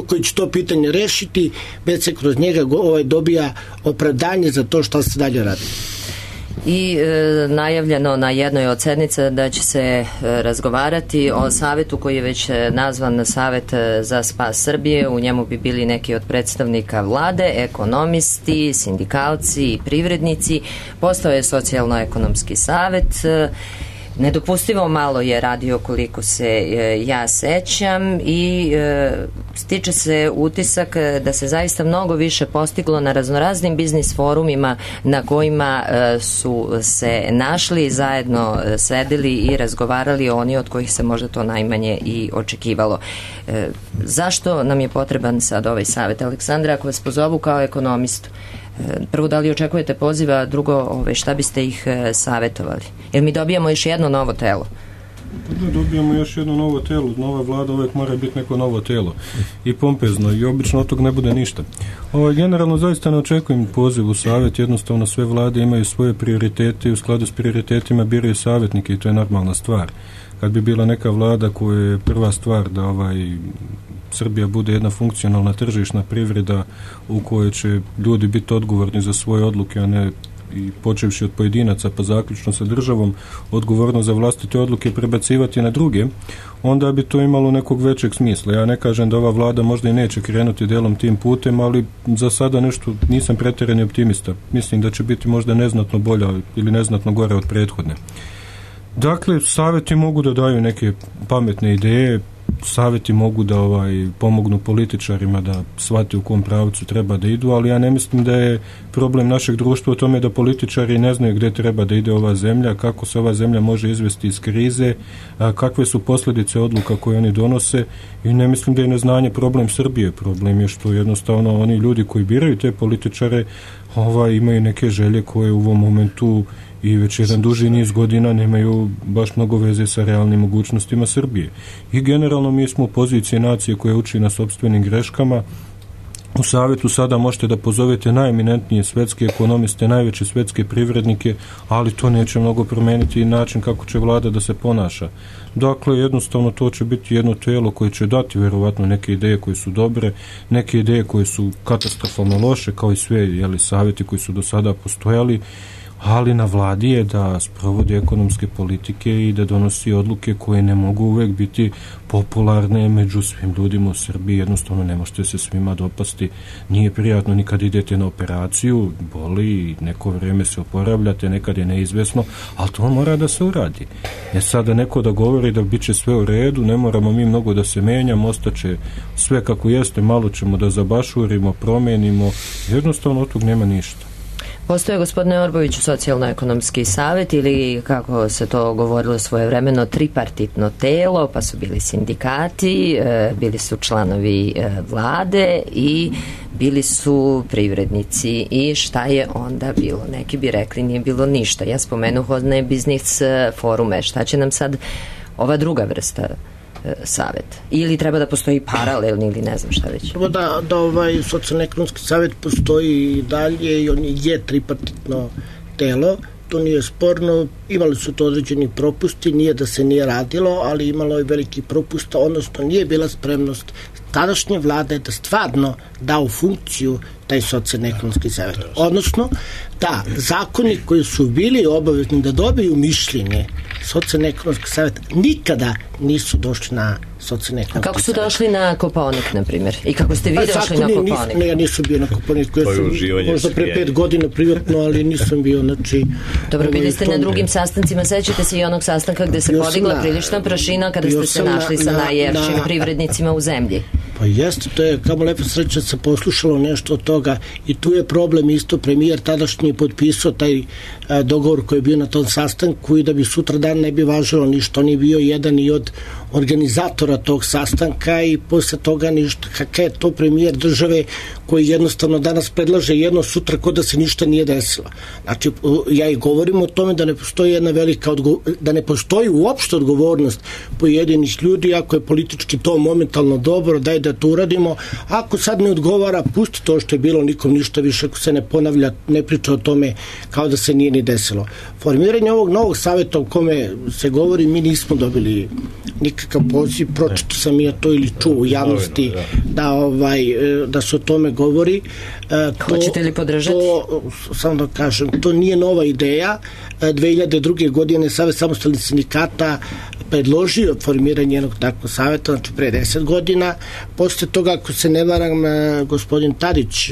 koji će to pitanje rešiti, već se kroz njega dobija opravdanje za to što se dalje radi. I najavljeno na jednoj od sednica da će se razgovarati o savetu koji je već nazvan Savet za spas Srbije. U njemu bi bili neki od predstavnika vlade, ekonomisti, sindikalci i privrednici. Postao je socijalno-ekonomski savet. Nedopustivo malo je radio koliko se ja sećam i stiče se utisak da se zaista mnogo više postiglo na raznoraznim biznis forumima na kojima su se našli, zajedno sedeli i razgovarali oni od kojih se možda to najmanje i očekivalo. Zašto nam je potreban sad ovaj savet? Aleksandra, ako vas pozovu kao ekonomistu, prvo, da li očekujete poziva, drugo, šta biste ih savetovali? Jer mi dobijamo još jedno novo telo. Da, dobijamo još jedno novo telo. Nova vlada uvek mora biti neko novo telo. I pompezno. I obično od toga ne bude ništa. Generalno zaista ne očekujem poziv u savet. Jednostavno sve vlade imaju svoje prioritete i u skladu s prioritetima biraju savjetnike i to je normalna stvar. Kad bi bila neka vlada koja je prva stvar da Srbija bude jedna funkcionalna tržišna privreda u kojoj će ljudi biti odgovorni za svoje odluke, a ne i počevši od pojedinaca pa zaključno sa državom odgovorno za vlastite odluke prebacivati na druge, onda bi to imalo nekog većeg smisla. Ja ne kažem da ova vlada možda i neće krenuti delom tim putem, ali za sada nešto nisam pretjerani optimista. Mislim da će biti možda neznatno bolja ili neznatno gore od prethodne. Dakle, savjeti mogu da daju neke pametne ideje, savjeti mogu da pomognu političarima da shvate u kom pravcu treba da idu, ali ja ne mislim da je problem našeg društva u tome da političari ne znaju gde treba da ide ova zemlja, kako se ova zemlja može izvesti iz krize, kakve su posljedice odluka koje oni donose i ne mislim da je neznanje problem Srbije. Problem je što jednostavno oni ljudi koji biraju te političare imaju neke želje koje u ovom momentu i već jedan duži niz godina nemaju baš mnogo veze sa realnim mogućnostima Srbije. I generalno mi smo u poziciji nacije koja uči na sopstvenim greškama. U savjetu sada možete da pozovete najeminentnije svetske ekonomiste, najveće svetske privrednike, ali to neće mnogo promeniti i način kako će vlada da se ponaša. Dakle, jednostavno to će biti jedno telo koje će dati verovatno neke ideje koje su dobre, neke ideje koje su katastrofalno loše, kao i sve savjeti koji su do sada postojali, ali na vladi je da sprovodi ekonomske politike i da donosi odluke koje ne mogu uvek biti popularne među svim ljudima u Srbiji. Jednostavno ne možete se svima dopasti. Nije prijatno ni kad idete na operaciju, boli i neko vreme se oporavljate, nekad je neizvesno, ali to mora da se uradi. Sada neko da govori da bit će sve u redu, ne moramo mi mnogo da se menjamo, ostaće sve kako jeste, malo ćemo da zabašurimo, promenimo, jednostavno od tog nema ništa. Postoje, gospodine Orboviću, socijalno-ekonomski savet ili, kako se to govorilo svojevremeno, tripartitno telo, pa su bili sindikati, bili su članovi vlade i bili su privrednici. I šta je onda bilo? Neki bi rekli nije bilo ništa. Ja spomenuh one biznis forume. Šta će nam sad ova druga vrsta savet? Ili treba da postoji paralelni ili ne znam šta već? Da socijalno-ekonomski savet postoji i dalje i on je tripartitno telo, to nije sporno, imali su to određeni propusti, nije da se nije radilo, ali imalo je veliki propusta, odnosno nije bila spremnost tadašnje vlade da stvarno da u funkciju taj socijalno-ekonomski savet. Odnosno, da zakoni koji su bili obavezni da dobiju mišljenje socijalno-ekonomskog savjeta nikada nisu došli na socijalno-ekonomski savjet. Kako su došli na Kopaonik, na primjer? I kako ste vi došli na Kopaonik? Ne, ja nisam bio na Kopaoniku. Ja sam možda pre 5 godina privatno, ali nisam bio, znači... Dobro, bili ste na drugim sastancima, sećate se i onog sastanka gde se podigla prilična prašina kada ste se našli sa najjefšim privrednicima u zemlji. Pa jeste, to je kamo lepo sreća se poslušalo nešto od toga i tu je problem isto, premijer tadašnji je potpisao taj dogovor koji je bio na tom sastanku i da bi sutra dan ne bi važilo ništa, on je bio jedan i od organizatora tog sastanka i posle toga ništa, kakav je to premijer države koji jednostavno danas predlaže jedno, sutra kod da se ništa nije desilo. Znači, ja i govorim o tome da ne postoji jedna velika da ne postoji uopšte odgovornost pojedinih ljudi, ako je politički to momentalno dobro, daj da to uradimo, ako sad ne odgovara, pusti to što je bilo, nikom ništa više, ako se ne ponavlja, ne priča o tome kao da se nije ni desilo. Formiranje ovog novog savjeta o kome se govori, mi nismo dobili nikakav poziv, pročito sam ja to ili čuo u javnosti da se o tome govori. Hoćete li podržati? Samo da kažem, to nije nova ideja. 2002. godine Savez samostalnih sindikata predložio formiranje jednog takvog savjeta, znači pre 10 godina. Posle toga, ako se ne varam, gospodin Tadić,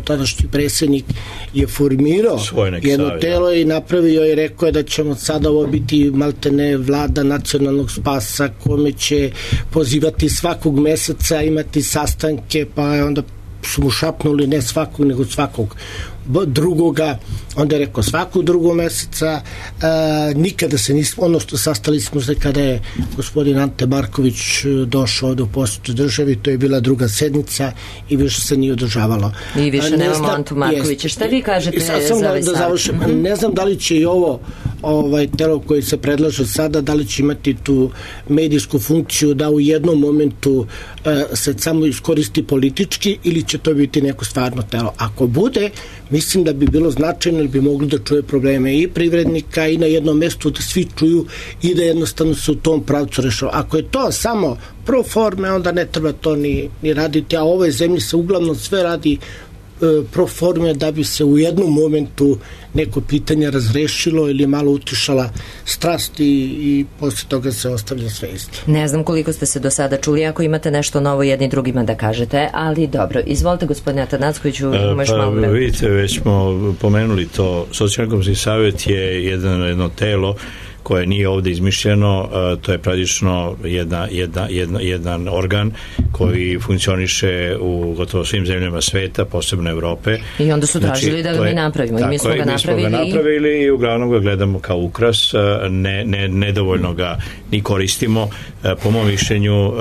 tadašnji predsjednik, je formirao jedno telo i napravio i rekao je da ćemo sada ovo biti maltene vlada nacionalnog spasa kome će pozivati svakog meseca, imati sastanke, pa onda su mu šapnuli ne svakog, nego svakog drugoga, onda je rekao svakog drugog meseca, nikada se nismo, ono što sastali smo se kada je gospodin Ante Marković došao do posjetu državi, to je bila druga sednica i više se nije održavalo. I više nemamo Antu Markovića. Šta vi kažete za ovaj savjet? Ne znam da li će i ovo telo koji se predlaže sada, da li će imati tu medijsku funkciju da u jednom momentu se samo iskoristi politički ili će to biti neko stvarno telo. Ako bude, mislim da bi bilo značajno ili bi mogli da čuje probleme i privrednika i na jednom mestu da svi čuju i da jednostavno se u tom pravcu rešava. Ako je to samo pro forme, onda ne treba to ni raditi, a u ovoj zemlji se uglavnom sve radi pro forme da bi se u jednom momentu neko pitanje razrešilo ili malo utišala strast i posle toga se ostavlja sve isto. Ne znam koliko ste se do sada čuli, ako imate nešto novo jedni drugima da kažete, ali dobro. Izvolite, gospodine Atanackoviću, imaš malo vremena. Vidite, već smo pomenuli to. Socijalno-ekonomski savjet je jedno telo koje nije ovde izmišljeno, to je praktično jedan organ koji funkcioniše u gotovo svim zemljama sveta, posebno Evrope. I onda su tražili da ga mi napravimo. I mi smo ga napravili i uglavnom ga gledamo kao ukras, nedovoljno ga ni koristimo. Po mom mišljenju,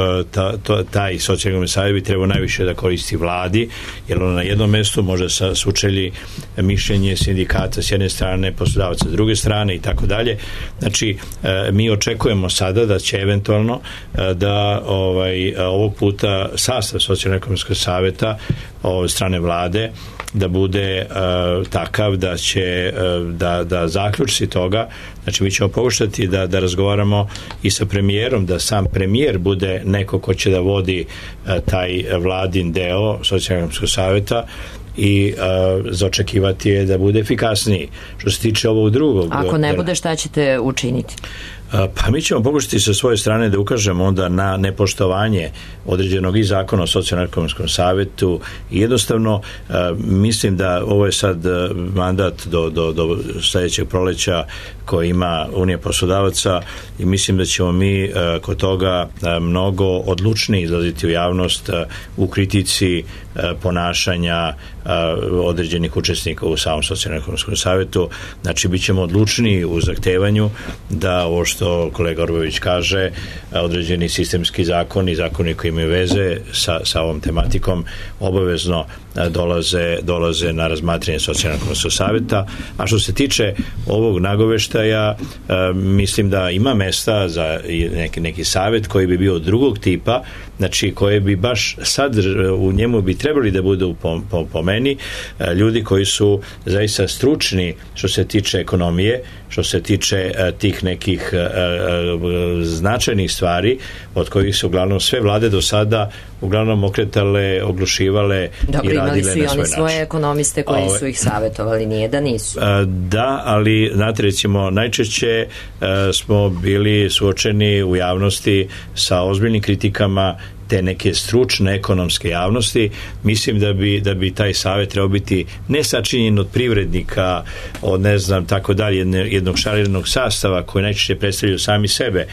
taj socijalni savjet bi trebao najviše da koristi vladi, jer ono na jednom mestu može sučelji mišljenje sindikata s jedne strane, poslodavaca s druge strane i tako dalje. Znači, mi očekujemo sada da će eventualno da ovog puta sastav socijalno-ekonomskog savjeta od strane vlade da bude takav da će da zaključci toga, znači mi ćemo pokušati da razgovaramo i sa premijerom, da sam premijer bude neko ko će da vodi taj vladin deo socijalno-ekonomskog savjeta i zaočekivati je da bude efikasniji. Što se tiče ovog drugog... Ako ne bude, šta ćete učiniti? Pa mi ćemo pokušati sa svoje strane da ukažemo onda na nepoštovanje određenog i zakona o socijalno-ekonomskom savjetu i jednostavno mislim da ovo je sad mandat do sledećeg proleća koji ima Unija poslodavaca i mislim da ćemo mi kod toga mnogo odlučnije izlaziti u javnost u kritici ponašanja određenih učesnika u samom socijalno-ekonomskom savjetu. Znači, bit ćemo odlučniji u zahtevanju da ovo što kolega Orbović kaže, određeni sistemski zakoni koji imaju veze sa ovom tematikom obavezno dolaze na razmatranje socijalno-ekonomskog savjeta. A što se tiče ovog nagoveštaja, mislim da ima mesta za neki savjet koji bi bio drugog tipa, znači koje bi baš sad u njemu bi trebali da budu po meni ljudi koji su zaista stručni što se tiče ekonomije, što se tiče tih nekih značajnih stvari od kojih su uglavnom sve vlade do sada uglavnom okretale, oglušivale i radile na svoj način. Dobro, imali su i oni svoje ekonomiste koji su ih savjetovali, nije da nisu. Da, ali znate, recimo, najčešće smo bili suočeni u javnosti sa ozbiljnim kritikama te neke stručne ekonomske javnosti. Mislim da bi taj savjet trebao biti ne sačinjen od privrednika, od ne znam tako dalje, jednog šariranog sastava koji najčešće predstavljaju sami sebe,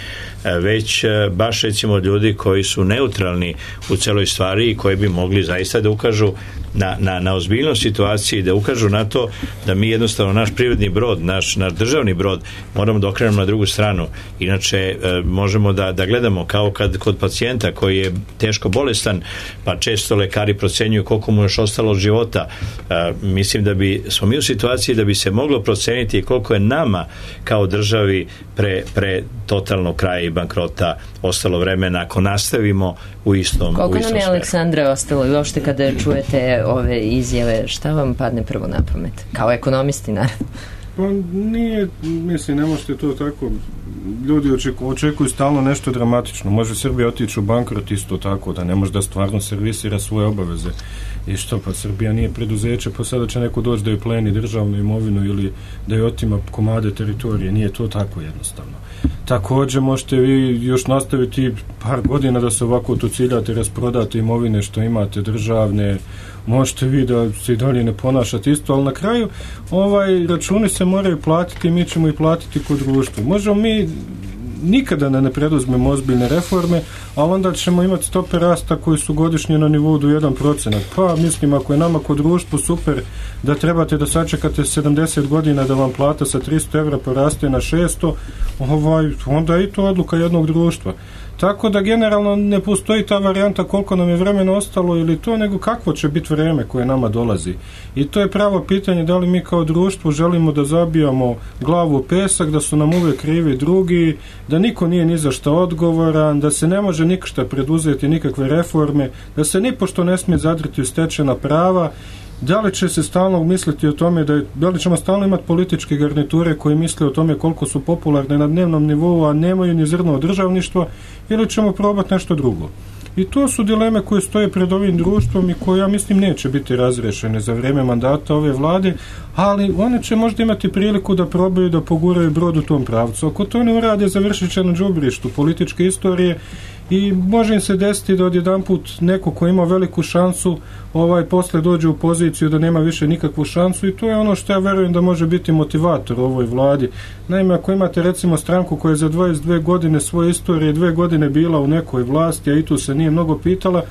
već baš recimo ljudi koji su neutralni u celoj stvari i koji bi mogli zaista da ukažu na ozbiljnost situacije i da ukažu na to da mi jednostavno naš privredni brod, naš državni brod moramo da okrenemo na drugu stranu. Inače možemo da gledamo kao kad kod pacijenta koji je teško bolestan, pa često lekari procenjuju koliko mu još ostalo od života. Mislim da smo mi u situaciji da bi se moglo proceniti koliko je nama kao državi pre totalnog kraja i bankrota ostalo vremena ako nastavimo u istom Koliko nam je, smeru. Aleksandre, ostalo i uopšte kada čujete ove izjave, šta vam padne prvo na pamet? Kao ekonomisti, naravno. Pa nije, mislim, ne možete to tako. Ljudi očekuju stalno nešto dramatično. Može Srbija otići u bankrot isto tako, da ne može da stvarno servisira svoje obaveze. I što, pa Srbija nije preduzeće, pa sada će neko doći da joj pleni državnu imovinu ili da joj otima komade teritorije. Nije to tako jednostavno. Također možete vi još nastaviti par godina da se ovako to ciljate, rasprodate imovine što imate državne, možete vi da se i dalje ne ponašate isto, ali na kraju računi se moraju platiti i mi ćemo i platiti kod društva. Možemo mi nikada ne preduzmemo ozbiljne reforme, ali onda ćemo imati stope rasta koji su godišnje na nivou do 1%. Pa mislim, ako je nama kod društvu super da trebate da sačekate 70 godina da vam plata sa 300 evra poraste na 600, onda je i to odluka jednog društva. Tako da generalno ne postoji ta varijanta koliko nam je vremena ostalo ili to, nego kakvo će biti vreme koje nama dolazi. I to je pravo pitanje, da li mi kao društvo želimo da zabijamo glavu u pesak, da su nam uvijek krivi drugi, da niko nije ni za šta odgovoran, da se ne može ništa preduzeti, nikakve reforme, da se nipošto ne smije zadriti u stečena prava. Da li će se stalno misliti o tome, da li ćemo stalno imati političke garniture koji misle o tome koliko su popularne na dnevnom nivou, a nemaju ni zrno od državništva, ili ćemo probati nešto drugo. I to su dileme koje stoje pred ovim društvom i koje, ja mislim, neće biti razrešene za vrijeme mandata ove vlade, ali one će možda imati priliku da probaju da poguraju brod u tom pravcu. Ako to ne urade, završit će na đubrištu političke istorije i može im se desiti da odjedanput neko ko ima veliku šansu posle dođe u poziciju da nema više nikakvu šansu, i to je ono što ja verujem da može biti motivator ovoj vladi. Naime, ako imate recimo stranku koja je za 22 godine svoje istorije 2 godine bila u nekoj vlasti, a i tu se nije mnogo pitala,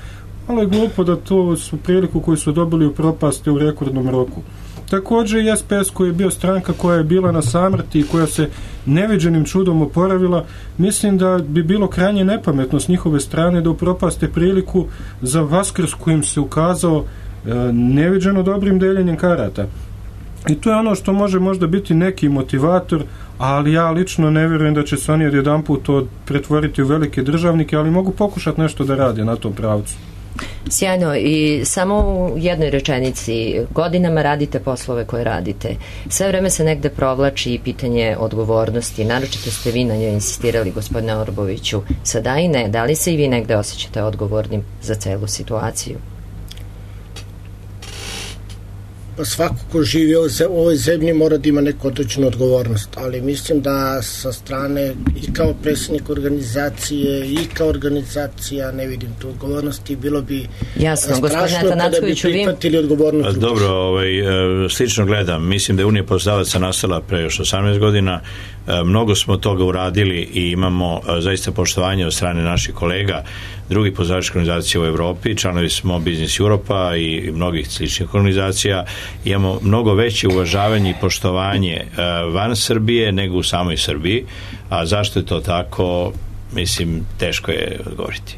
ali je glupo da to su priliku koju su dobili u propasti u rekordnom roku. Također i SPS koji je bio stranka koja je bila na samrti i koja se neviđenim čudom oporavila, mislim da bi bilo krajnje nepametno s njihove strane da upropaste priliku za Vaskrs kojim se ukazao neviđeno dobrim deljenjem karata. I to je ono što može možda biti neki motivator, ali ja lično ne vjerujem da će se oni odjedanput to pretvoriti u velike državnike, ali mogu pokušati nešto da rade na tom pravcu. Sjajno, i samo u jednoj rečenici, godinama radite poslove koje radite. Sve vreme se negde provlači pitanje odgovornosti, naročito ste vi na njoj insistirali, gospodine Orboviću. Sada i ne, da li se i vi negde osjećate odgovornim za celu situaciju? Pa svako ko živi u ovoj zemlji mora da ima neku određenu odgovornost, ali mislim da sa strane i kao predsjednik organizacije i kao organizacija ne vidim tu odgovornosti, bilo bi strašno kada bi prihvatili odgovornost. Dobro, slično gledam, mislim da je Unija poslodavaca nastala pre još 18 godina, mnogo smo toga uradili i imamo zaista poštovanje od strane naših kolega drugih poslodavačkih organizacija u Evropi, članovi smo Business Europa i mnogih sličnih organizacija, imamo mnogo veće uvažavanje i poštovanje van Srbije nego u samoj Srbiji, a zašto je to tako, mislim, teško je odgovoriti.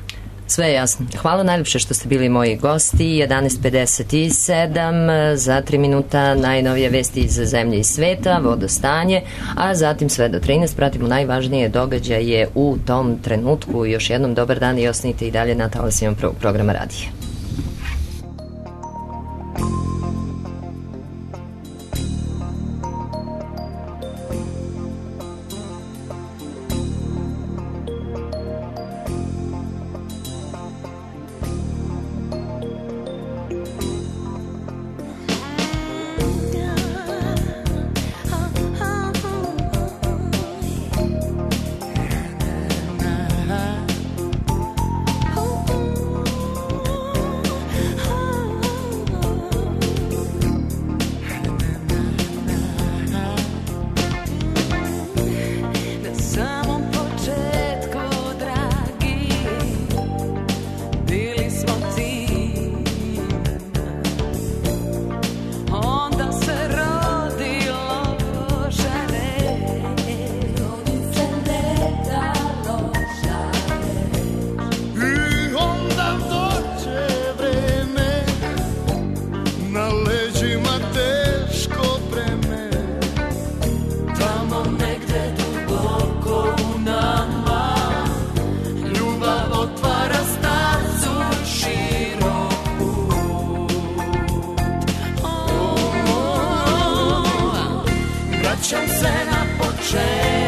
Sve je jasno. Hvala najljepše što ste bili moji gosti. 11:57, za 3 minuta najnovije vesti iz zemlje i sveta, vodostanje, a zatim sve do 13 pratimo najvažnije događaje u tom trenutku. Još jednom dobar dan i ostanite i dalje na talasima prvog programa radija. Vraćam se na početak.